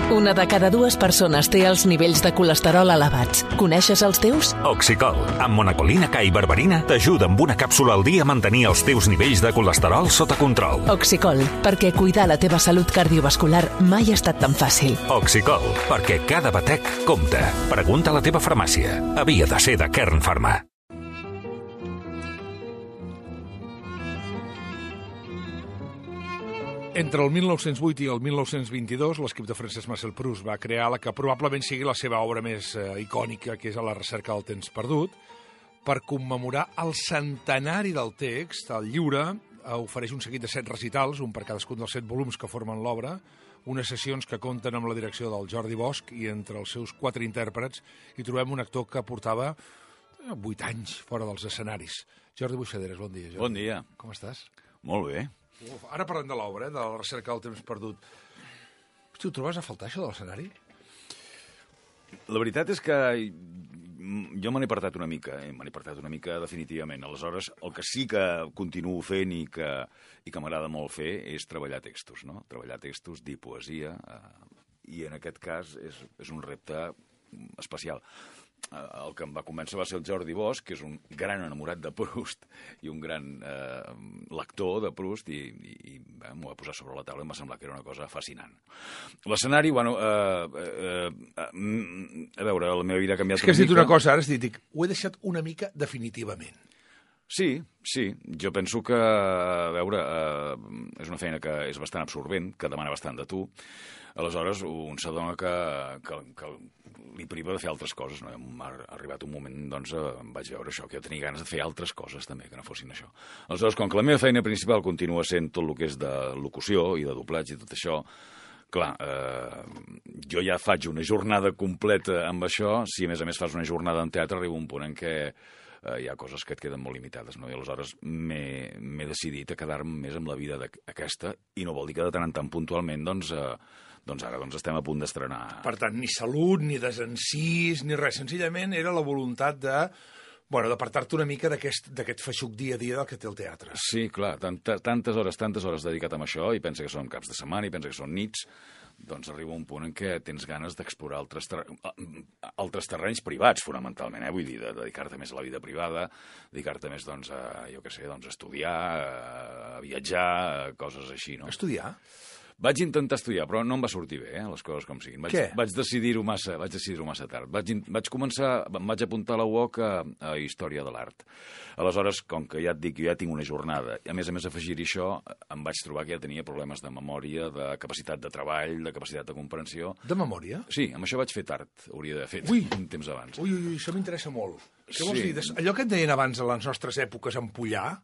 Una de cada dues persones té els nivells de colesterol elevats. Coneixes els teus? Oxicol, amb monacolina K i berberina, t'ajuda amb una càpsula al dia a mantenir els teus nivells de colesterol sota control. Oxicol, perquè cuidar la teva salut cardiovascular mai ha estat tan fàcil. Oxicol, perquè cada batec compta. Pregunta a la teva farmàcia. Havia de ser de Kern Pharma. Entre el 1908 i el 1922, l'esquip de Francesc Marcel Proust va crear la que probablement sigui la seva obra més icònica, que és A la recerca del temps perdut. Per commemorar el centenari del text, el llibre ofereix un seguit de 7 recitals, un per cadascun dels 7 volums que formen l'obra, unes sessions que compten amb la direcció del Jordi Bosch i entre els seus 4 intèrprets hi trobem un actor que portava 8 anys fora dels escenaris. Jordi Buixaderes, bon dia. Jordi. Bon dia. Com estàs? Molt bé. Ara parlem de l'obra, de la recerca del temps perdut. Hosti, ho trobes a faltar, això de l'escenari? La veritat és que jo me n'he apartat una mica definitivament. Aleshores, el que sí que continuo fent i que m'agrada molt fer és treballar textos, no? Treballar textos, dir poesia, i en aquest cas és un repte especial. El que em va convèncer va ser el Jordi Bosch, que és un gran enamorat de Proust i un gran lector de Proust, i m'ho va posar sobre la taula i em va semblar que era una cosa fascinant. L'escenari, bueno, a veure, la meva vida ha canviat una mica. És que has dit una cosa, ara has dit, ho he deixat una mica definitivament. Sí, jo penso que, a veure, és una feina que és bastant absorbent, que demana bastant de tu. Aleshores, un s'adona que li priva de fer altres coses, no? M'ha arribat un moment, doncs, em vaig veure això, que jo tenia ganes de fer altres coses també, que no fossin això. Aleshores, com que la meva feina principal continua sent tot el que és de locució i de doblatge i tot això, clar, jo ja faig una jornada completa amb això. Si a més fas una jornada en teatre, arriba un punt en què hi ha coses que et queden molt limitades, no? I aleshores m'he decidit a quedar-me més amb la vida aquesta, i no vol dir que de tant en tant puntualment, doncs ara estem a punt d'estrenar. Per tant, ni salut, ni desencís, ni res. Senzillament era la voluntat d'apartar-te una mica d'aquest feixuc dia a dia del que té el teatre. Sí, clar, tantes hores dedicat a això, i pensa que són caps de setmana, i pensa que són nits, doncs arriba un punt en què tens ganes d'explorar altres terrenys privats, fonamentalment, vull dir, de dedicar-te més a la vida privada, dedicar-te més, doncs, a estudiar, a viatjar, coses així, no? Estudiar? Vaig intentar estudiar, però no em va sortir bé, les coses com siguin. Què? Vaig decidir-ho massa tard. Em vaig apuntar a la UOC a Història de l'Art. Aleshores, com que ja et dic, jo ja tinc una jornada, i a més afegir-hi això, em vaig trobar que ja tenia problemes de memòria, de capacitat de treball, de capacitat de comprensió. De memòria? Sí, amb això vaig fer tard, hauria d'haver fet un temps abans. Ui, això m'interessa molt. Què vols dir? Allò que et deien abans a les nostres èpoques, empollar?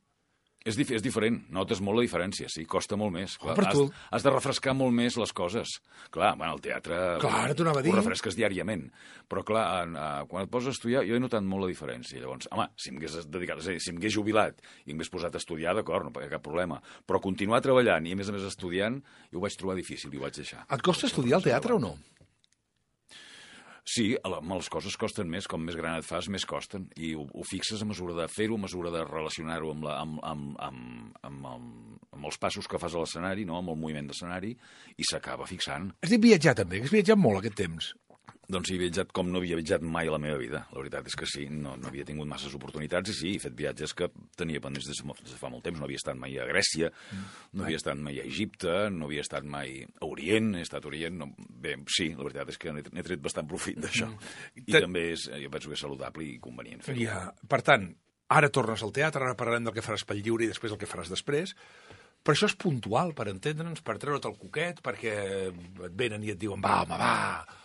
És diferent, notes molt la diferència, sí, costa molt més. Clar, per tu. Has de refrescar molt més les coses. Clar, el teatre ho refresques diàriament, però clar, quan et poses a estudiar, jo he notat molt la diferència. Llavors, home, si m'hagués jubilat i m'hagués posat a estudiar, d'acord, no hi ha cap problema, però continuar treballant i a més estudiant, jo ho vaig trobar difícil i ho vaig deixar. Et costa estudiar al teatre o no? Sí, les coses costen més, com més gran et fas, més costen, i ho fixes a mesura de fer-ho, a mesura de relacionar-ho amb els passos que fas a l'escenari, no? Amb el moviment d'escenari, i s'acaba fixant. Has dit viatjar també, que has viatjat molt aquest temps. Doncs he viatjat com no havia viatjat mai a la meva vida. La veritat és que sí, no havia tingut masses oportunitats, i sí, he fet viatges que tenia pendents des de fa molt temps. No havia estat mai a Grècia, no havia estat mai a Egipte, no havia estat mai a Orient, he estat a Orient. Bé, sí, la veritat és que n'he tret bastant profit d'això. I també jo penso que és saludable i convenient fer-ho. Ja, per tant, ara tornes al teatre, ara parlarem del que faràs pel lliure i després el que faràs després. Però això és puntual, per entendre'ns, per treure't el coquet, perquè et venen i et diuen va, home, va.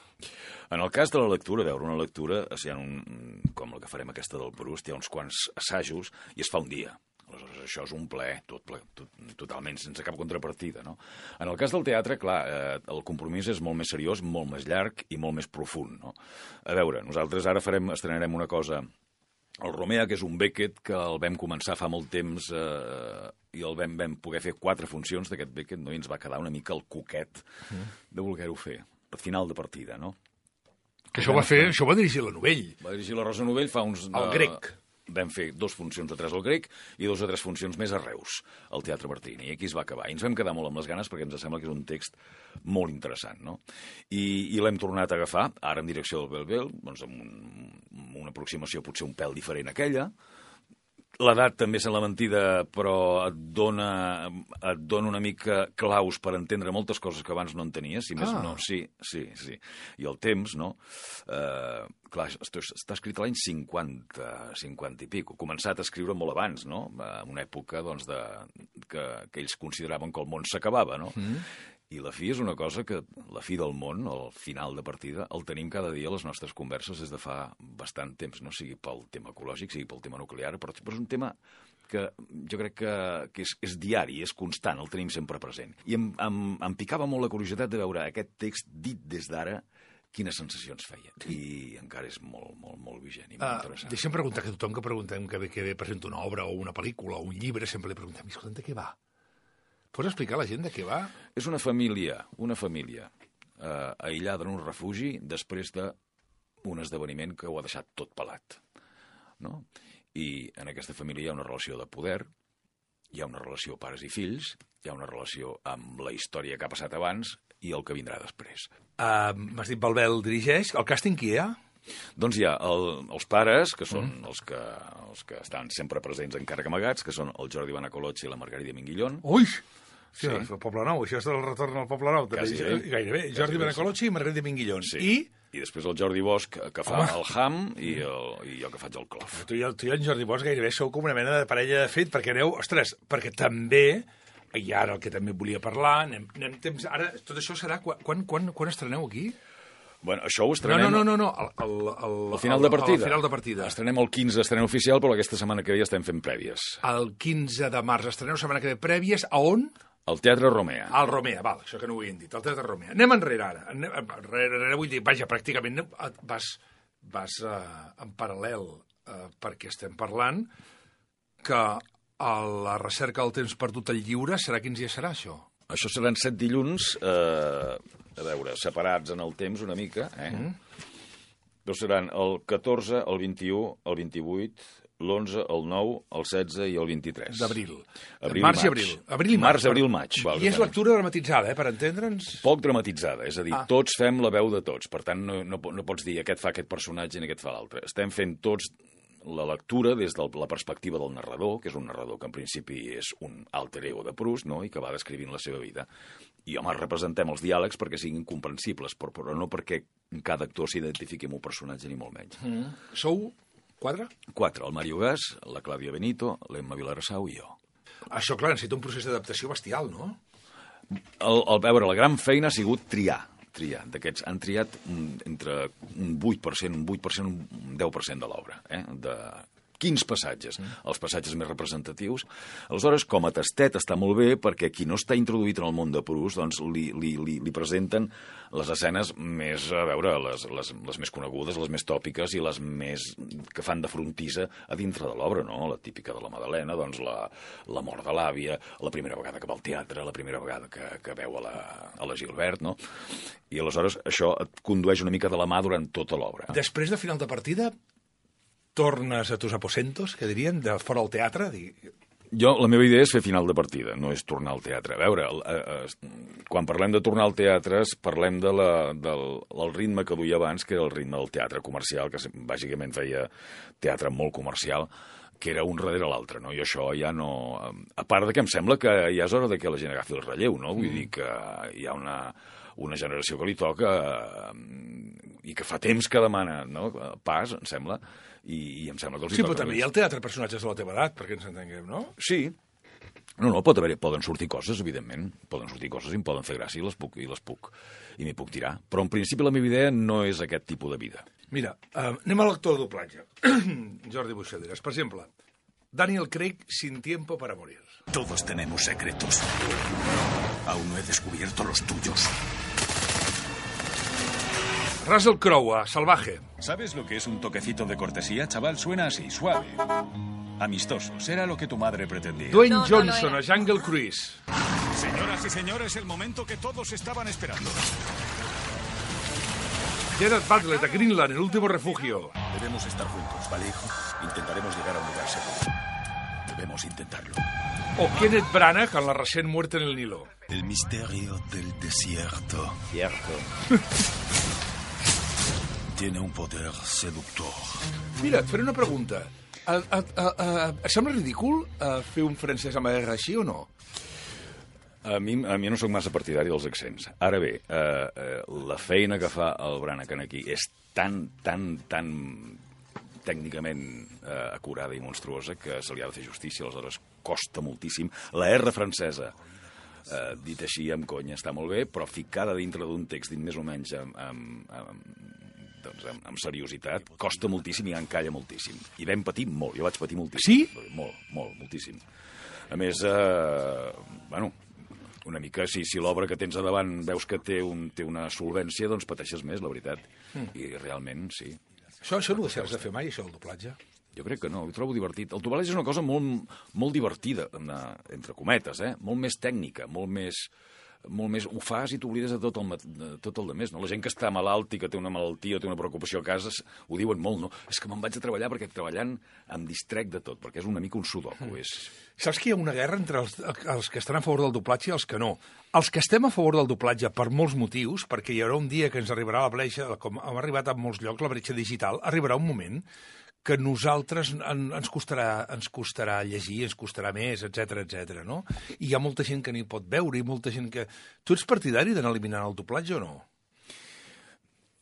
En el cas de la lectura, una lectura, com la que farem aquesta del Proust, hi ha uns quants assajos i es fa un dia. Aleshores, això és un plaer, totalment, sense cap contrapartida, no? En el cas del teatre, clar, el compromís és molt més seriós, molt més llarg i molt més profund, no? A veure, nosaltres ara estrenarem una cosa, el Romea, que és un Beckett, que el vam començar fa molt temps i el vam poder fer 4 funcions d'aquest Beckett, no? I ens va quedar una mica el coquet de voler-ho fer, per final de partida, no? Que això va dirigir la Novell. Va dirigir la Rosa Novell fa uns... El grec. vam fer 2 funcions de 3 al Grec i 2 o 3 funcions més a Reus, al Teatre Martini, i aquí es va acabar. I ens vam quedar molt amb les ganes perquè ens sembla que és un text molt interessant, no? I l'hem tornat a agafar, ara en direcció del Bel-Bel, doncs amb una aproximació potser un pèl diferent a aquella. L'edat també és la mentida, però et dona una mica claus per entendre moltes coses que abans no entenies, si més no. Sí. I el temps, no? Clar, està escrit a l'any 50 i pico. Començat a escriure molt abans, no? En una època, doncs, que ells consideraven que el món s'acabava, no? I la fi és una cosa que, la fi del món, el final de partida, el tenim cada dia a les nostres converses des de fa bastant temps, no sigui pel tema ecològic, sigui pel tema nuclear, però és un tema que jo crec que és diari, és constant, el tenim sempre present. I em picava molt la curiositat de veure aquest text dit des d'ara, quines sensacions feia. I encara és molt, molt, molt vigent i molt interessant. Deixa'm preguntar que tothom que preguntem que ve presenta una obra o una pel·lícula o un llibre, sempre li preguntem, escolta, de què va? Pots explicar a la gent de què va? És una família aïllada en un refugi després d'un esdeveniment que ho ha deixat tot pelat. No? I en aquesta família hi ha una relació de poder, hi ha una relació pares i fills, hi ha una relació amb la història que ha passat abans i el que vindrà després. M'has dit Bel-Bel dirigeix. El càsting qui hi ha? Doncs hi ha els pares, que són els que estan sempre presents encara que amagats, que són el Jordi Benacolotxi i la Margarida Minguillón. Ui! Sí, el Poble Nou, això és el retorn al Poble Nou. Gairebé. Jordi Benacolotxi i Margarida Minguillón. Sí. I després el Jordi Bosch, que fa el Ham, i jo que faig el Clof. Tu i en Jordi Bosch gairebé sou com una mena de parella de fet, perquè aneu, ostres, perquè també, i ara el que també volia parlar, anem temps, ara tot això serà, quan estreneu aquí? Bueno, això ho estrenem... No. Al final de partida. Al final de partida. Estrenem el 15, estrena oficial, però aquesta setmana que ve ja estem fent prèvies. El 15 de març estreneu, setmana que ve prèvies, a on? Al Teatre Romea. Al Romea, val, això que no ho havien dit, al Teatre Romea. Anem enrere ara. Enrere vull dir, vaja, pràcticament vas en paral·lel, perquè estem parlant que a la recerca del temps perdut al lliure serà quins dies serà, això? Això seran 7 dilluns, a veure, separats en el temps una mica, Doncs seran el 14, el 21, el 28, l'11, el 9, el 16 i el 23. D'abril. Març i abril. Març, abril, maig. I és lectura dramatitzada, per entendre'ns? Poc dramatitzada, és a dir, tots fem la veu de tots. Per tant, no pots dir aquest fa aquest personatge i aquest fa l'altre. Estem fent tots la lectura des de la perspectiva del narrador, que és un narrador que en principi és un alter ego de Proust, no? I que va descrivint la seva vida. I, home, representem els diàlegs perquè siguin comprensibles, però no perquè cada actor s'identifiqui amb un personatge, ni molt menys. Sou 4? 4. El Mario Gas, la Clàudia Benito, l'Emma Vilarassau i jo. Això, clar, necessita un procés d'adaptació bestial, no? A veure, la gran feina ha sigut triar. D'aquests han triat entre un 8%, un 10% de l'obra, de 15 passatges, els passatges més representatius. Aleshores, com a tastet està molt bé, perquè qui no està introduït en el món de Proust, doncs li presenten les escenes més, a veure, les més conegudes, les més tòpiques i les més que fan de frontissa a dintre de l'obra, no? La típica de la Madalena, doncs la mort de l'àvia, la primera vegada que va al teatre, la primera vegada que veu a la Gilbert, no? I aleshores això et condueix una mica de la mà durant tota l'obra. Després de final de partida, tornes a tus aposentos, que dirien, de fora al teatre? La meva idea és fer final de partida, no és tornar al teatre. A veure, quan parlem de tornar al teatre, parlem del ritme que duia abans, que era el ritme del teatre comercial, que bàsicament feia teatre molt comercial, que era un darrere l'altre, no? I això ja no... A part de que em sembla que ja és hora que la gent agafi el relleu, no? Vull dir que hi ha una generació que li toca i que fa temps que demana, no? Pas, em sembla, i em sembla que els hi toca. Sí, però també hi ha el teatre personatges de la teva edat, perquè ens entenguem, no? Sí. No, poden sortir coses, evidentment. Poden sortir coses i em poden fer gràcia i m'hi puc tirar. Però en principi la meva idea no és aquest tipus de vida. Mira, anem a l'actor de doblatge. Jordi Buixaderas. Per exemple, Daniel Craig, Sin tiempo para morir. Todos tenemos secretos. Aún no he descubierto los tuyos. Russell Crowe, Salvaje. ¿Sabes lo que es un toquecito de cortesía, chaval? Suena así, suave. Amistoso. Será lo que tu madre pretendía. Dwayne Johnson, a Jungle Cruise. Señoras y señores, el momento que todos estaban esperando. Gerard Butler, de Greenland, El último refugio. Debemos estar juntos, ¿vale, hijo? Intentaremos llegar a un lugar seguro. Debemos intentarlo. O Kenneth Branagh, en La recent muerte en el Nilo. El misterio del desierto tiene un poder seductor. Mira, et faré una pregunta. Et sembla ridícul fer un francès amb R així o no? A mi no sóc massa partidari dels accents. Ara bé, la feina que fa el Branagh aquí és tan tècnicament acurada i monstruosa que se li ha de fer justícia, aleshores costa moltíssim. La R francesa, dit així amb conya, està molt bé, però ficada dintre d'un text dit més o menys amb seriositat, costa moltíssim i encalla moltíssim. I vam patir molt, jo vaig patir moltíssim. Sí? Molt, moltíssim. A més, bueno, una mica, si l'obra que tens a davant veus que té una solvència, doncs pateixes més, la veritat. I realment, sí. Això no ho deixaràs de fer mai, això, el doblatge? Jo crec que no, ho trobo divertit. El doblatge és una cosa molt divertida, entre cometes, molt més tècnica, molt més ho fas i t'oblides de tot el demés, no? La gent que està malalt i que té una malaltia o té una preocupació a casa ho diuen molt, no? És que me'n vaig a treballar perquè treballant em distrec de tot, perquè és una mica un sudoku. Saps que hi ha una guerra entre els que estan a favor del doblatge i els que no? Els que estem a favor del doblatge per molts motius, perquè hi haurà un dia que ens arribarà la bretxa, com ha arribat a molts llocs, la bretxa digital, arribarà un moment que nosaltres ens costarà llegir, ens costarà més, etc, no? I hi ha molta gent que ni pot veure i molta gent que... Tu ets partidari d'anar eliminant el doblatge o no?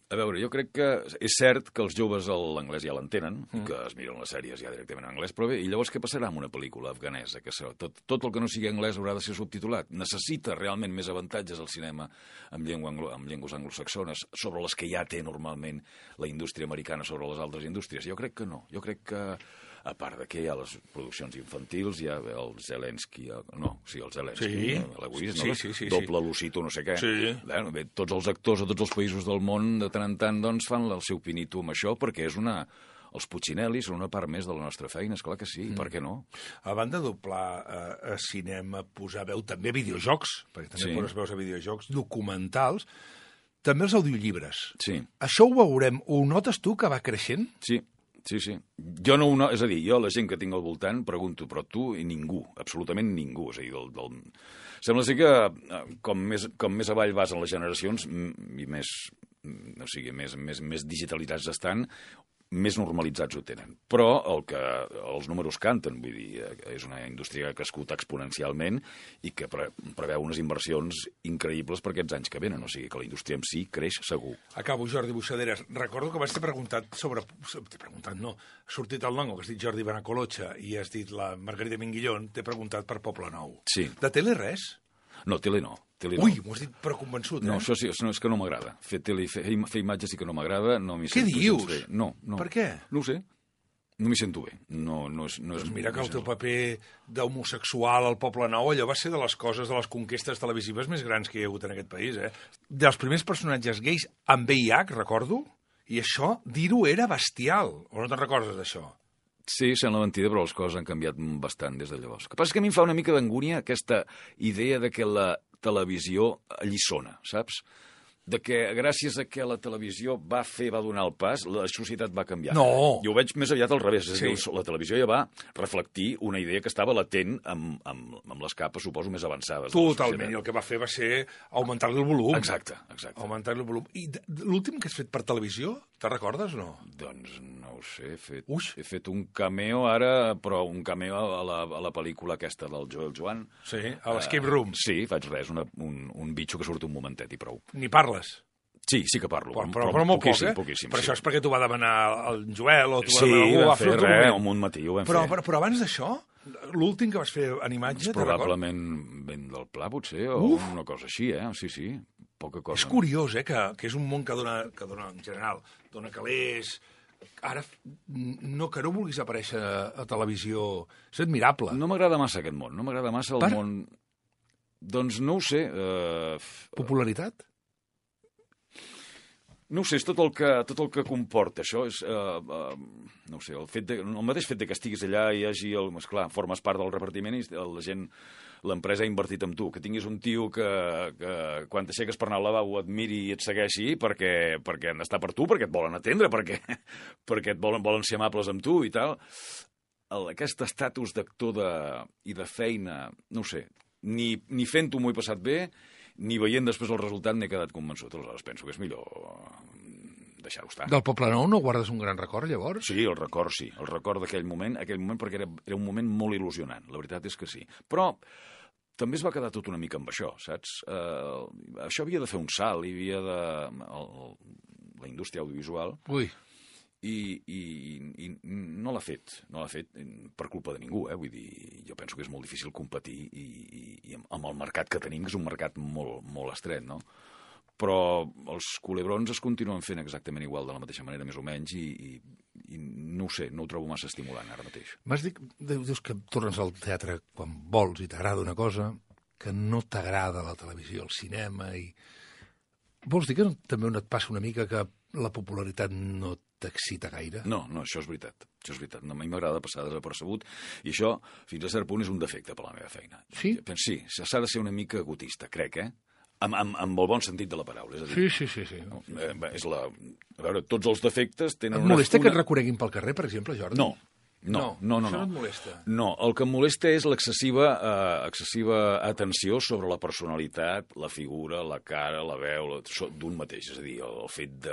A veure, jo crec que és cert que els joves l'anglès ja l'entenen, que es miren les sèries ja directament en anglès, però bé, i llavors què passarà amb una pel·lícula afganesa? Que tot el que no sigui anglès haurà de ser subtitulat. Necessita realment més avantatges al cinema amb llengües anglosaxones sobre les que ja té normalment la indústria americana sobre les altres indústries? Jo crec que no. Jo crec que, a part de que hi ha les produccions infantils, hi ha el Zelensky, l'Egoist, doble Lucito, no sé què. Bé, tots els actors de tots els països del món de tant en tant doncs, fan el seu pinito amb això perquè els Puccinelli són una part més de la nostra feina, esclar que sí, per què no? A banda de doblar a cinema, posar veu també a videojocs, perquè també poses veus a videojocs, documentals, també els audiollibres. Sí. Això ho veurem, ho notes tu que va creixent? Sí. Jo no, és a dir, jo la gent que tinc al voltant pregunto, però tu i ningú, absolutament ningú, és a dir, sembla ser que com més avall vas en les generacions i més digitalitzats estan, més normalitzats ho tenen. Però els números canten, vull dir, és una indústria que ha crescut exponencialment i que preveu unes inversions increïbles per aquests anys que venen, o sigui que la indústria en si creix segur. Acabo, Jordi Buixaderes. Recordo que vas ter preguntat no, ha sortit el nom, que has dit Jordi Benacolotxa i has dit la Margarida Minguillón, t'he preguntat per Poble Nou. Sí. De tele res? No, tele no. Ui, m'ho has dit però convençut, No, això sí, és que no m'agrada. Fer tele i fer imatges sí que no m'agrada. Què dius? No. Per què? No ho sé. No m'hi sento bé. No és mira que el teu paper d'homosexual al Poble Nou, allò va ser de les coses, de les conquestes televisives més grans que hi ha hagut en aquest país, Dels primers personatges gais amb VIH, recordo, i això, dir-ho era bestial. O no te'n recordes d'això? Sí, sembla mentida, però les coses han canviat bastant des de llavors. El que passa és que a mi em fa una mica d'angúnia aquesta idea de que la televisió alliçona, saps? De que gràcies a que la televisió va donar el pas, la societat va canviar. No! Jo ho veig més aviat al revés. És a dir, la televisió ja va reflectir una idea que estava latent amb les capes, suposo, més avançades. Totalment, i el que va fer va ser augmentar-li el volum. Exacte. Augmentar-li el volum. I l'últim que has fet per televisió, te'n recordes o no? Doncs no ho sé, he fet un cameo ara, però un cameo a la pel·lícula aquesta del Joel Joan. Sí, a l'Escape Room. Sí, faig res, un bitxo que surt un momentet i prou. Ni parles? Sí que parlo. Però molt poquíssim. Però això és perquè t'ho va demanar el Joel o t'ho va demanar algú. Sí, un matí ho vam fer. Però abans d'això, l'últim que vas fer en imatge... Probablement vent del pla, potser, o una cosa així, Sí, poca cosa. És curiós, que és un món que dona en general, dona calés... Ara, que no vulguis aparèixer a televisió, és admirable. No m'agrada massa aquest món, no m'agrada massa el món... Doncs no ho sé. Popularitat? No ho sé, és tot el que comporta. Això és, no ho sé, el mateix fet que estiguis allà i hi hagi, esclar, formes part del repartiment i l'empresa ha invertit en tu. Que tinguis un tio que quan t'aixeques per anar al lavabo et miri i et segueixi perquè han d'estar per tu, perquè et volen atendre, perquè et volen ser amables amb tu i tal. Aquest estatus d'actor i de feina, no ho sé, ni fent-ho m'ho he passat bé, ni veient després el resultat n'he quedat convençut. Aleshores penso que és millor deixar-ho estar. Del Poble Nou no guardes un gran record, llavors? Sí, el record d'aquell moment, perquè era un moment molt il·lusionant, la veritat és que sí. Però també es va quedar tot una mica amb això, saps? Això havia de fer un salt, hi havia la indústria audiovisual... Ui. I no l'ha fet per culpa de ningú, vull dir, jo penso que és molt difícil competir i amb el mercat que tenim, que és un mercat molt, molt estret, no? Però els culebrons es continuen fent exactament igual, de la mateixa manera, més o menys, i no ho sé, no ho trobo massa estimulant ara mateix. Dius que tornes al teatre quan vols i t'agrada una cosa, que no t'agrada la televisió, el cinema, i... Vols dir que també et passa una mica que la popularitat no t'excita gaire? No, això és veritat. No, a mi m'agrada passar desapercebut i això, fins a cert punt, és un defecte per la meva feina. Sí? Sí, s'ha de ser una mica egotista, crec, Amb el bon sentit de la paraula. És a dir, Sí. A veure, tots els defectes tenen Et molesta que et reconeguin pel carrer, per exemple, Jordi? No. Això no et molesta? No, el que em molesta és l'excessiva atenció sobre la personalitat, la figura, la cara, la veu d'un mateix. És a dir, el fet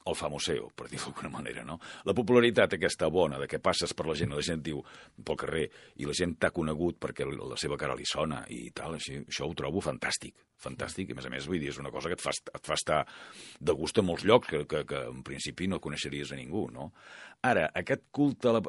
el famoseo, per dir-ho d'alguna manera, no? La popularitat aquesta bona, de què passes per la gent diu pel carrer i la gent t'ha conegut perquè la seva cara li sona i tal, això ho trobo fantàstic, i a més, vull dir, és una cosa que et fa estar de gust a molts llocs que en principi no coneixeries a ningú, no? Ara, aquest culte...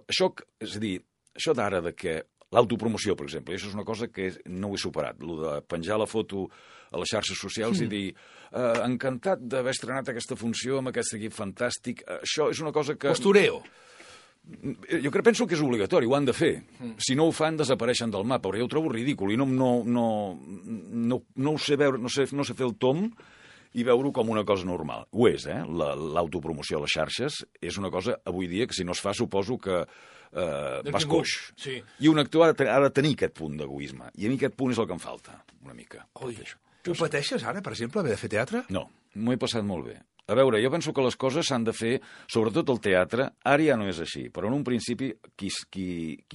És a dir, això d'ara de que l'autopromoció, per exemple, això és una cosa que no ho he superat, el de penjar la foto a les xarxes socials i dir encantat d'haver estrenat aquesta funció amb aquest equip fantàstic, això és una cosa que... Postureo. Jo penso que és obligatori, ho han de fer. Si no ho fan, desapareixen del mapa, però jo ho trobo ridícul i no sé fer el tom i veure-ho com una cosa normal. Ho és, l'autopromoció a les xarxes és una cosa, avui dia, que si no es fa, suposo que vas coix. Sí. I un actor ha de tenir aquest punt d'egoisme. I a mi aquest punt és el que em falta, una mica. Ho pateixes ara, per exemple, haver de fer teatre? No, m'ho he passat molt bé. A veure, jo penso que les coses s'han de fer, sobretot el teatre, ara ja no és així, però en un principi qui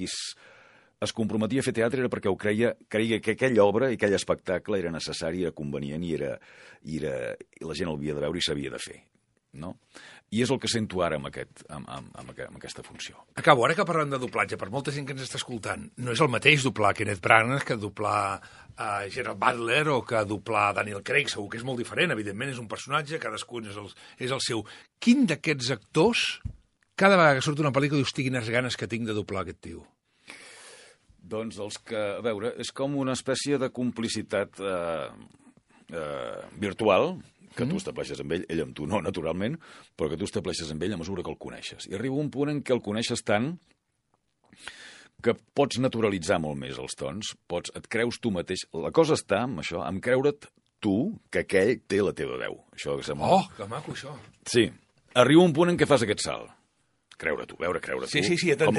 es comprometia a fer teatre era perquè ho creia que aquella obra i aquell espectacle era necessari, era convenient i la gent el havia de veure i s'havia de fer, no? I és el que sento ara amb aquesta funció. Acabo, ara que parlem de doblatge, per molta gent que ens està escoltant, no és el mateix doblar Kenneth Branagh que doblar Gerard Butler o que doblar Daniel Craig, segur que és molt diferent, evidentment és un personatge, cadascun és el seu. Quin d'aquests actors, cada vegada que surt una pel·lícula, dius, quines ganes que tinc de doblar aquest tio? Doncs els que, a veure, és com una espècie de complicitat virtual, que tu estableixes amb ell amb tu no, naturalment, però que tu estableixes amb ell a mesura que el coneixes. I arriba un punt en què el coneixes tant que pots naturalitzar molt més els tons, et creus tu mateix. La cosa està amb això, amb creure't tu que aquell té la teva veu. Això que sembla... Oh, que maco, això. Sí. Arriba un punt en què fas aquest salt. Creure tu, Sí,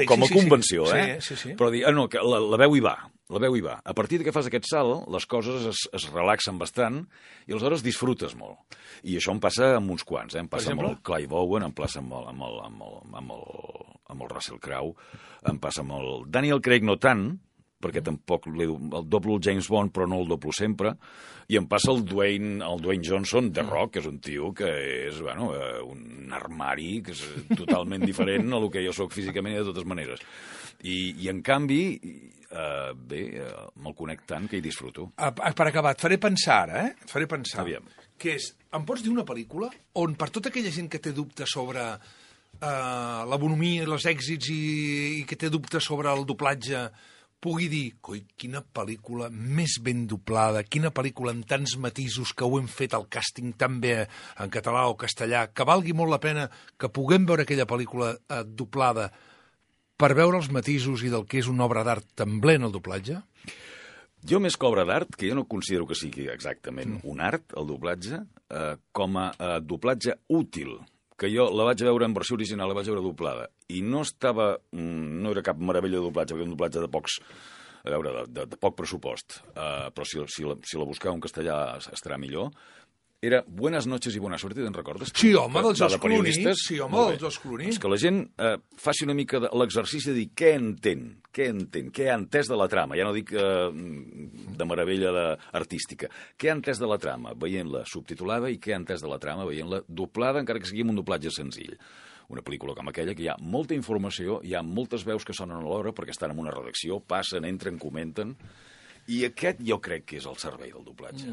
com a convenció, Sí. Però dir, no, que la veu hi va, A partir que fas aquest salt, les coses es relaxen bastant i aleshores disfrutes molt. I això em passa amb uns quants, Em passa amb el Clive Owen, em passa amb el Russell Crowe, em passa amb el Daniel Craig no tant, perquè tampoc el doblo el James Bond, però no el doblo sempre, i em passa el Dwayne Johnson de Rock, que és un tio que és un armari, que és totalment diferent a el que jo sóc físicament i de totes maneres. I en canvi, me'l conec tant que hi disfruto. Per acabar, et faré pensar ara, Et faré pensar. Aviam. Que és, em pots dir una pel·lícula on per tota aquella gent que té dubtes sobre la bonomia i els èxits i que té dubtes sobre el doblatge pugui dir, coi, quina pel·lícula més ben doblada, quina pel·lícula amb tants matisos que ho hem fet el càsting tan bé en català o castellà, que valgui molt la pena que puguem veure aquella pel·lícula doblada per veure els matisos i del que és una obra d'art tan ble en el doblatge? Jo més que obra d'art, que jo no considero que sigui exactament un art, el doblatge, com a doblatge útil, que jo la vaig veure en versió original, la vaig veure doblada, i no era cap meravella de doblatge, perquè era un doblatge de pocs, a veure, de poc pressupost, però si la busqueu en castellà estarà millor. Era Buenas noches i buena suerte, te'n recordes? Sí, home, del George Clooney. periodistes. Sí, home, del George Clooney. És que la gent faci una mica l'exercici de dir què entén, què ha entès de la trama. Ja no dic de meravella artística. Què ha entès de la trama, veient-la subtitulada, i què ha entès de la trama, veient-la doblada, encara que sigui amb un doblatge senzill. Una pel·lícula com aquella, que hi ha molta informació, hi ha moltes veus que sonen alhora, perquè estan en una redacció, passen, entren, comenten, i aquest jo crec que és el servei del doblatge.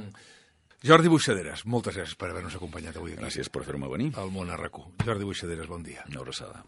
Jordi Buixaderes, moltes gràcies per haver-nos acompanyat avui aquí. Gràcies per fer-me venir. Al Món a RAC1. Jordi Buixaderes, bon dia. Una abraçada.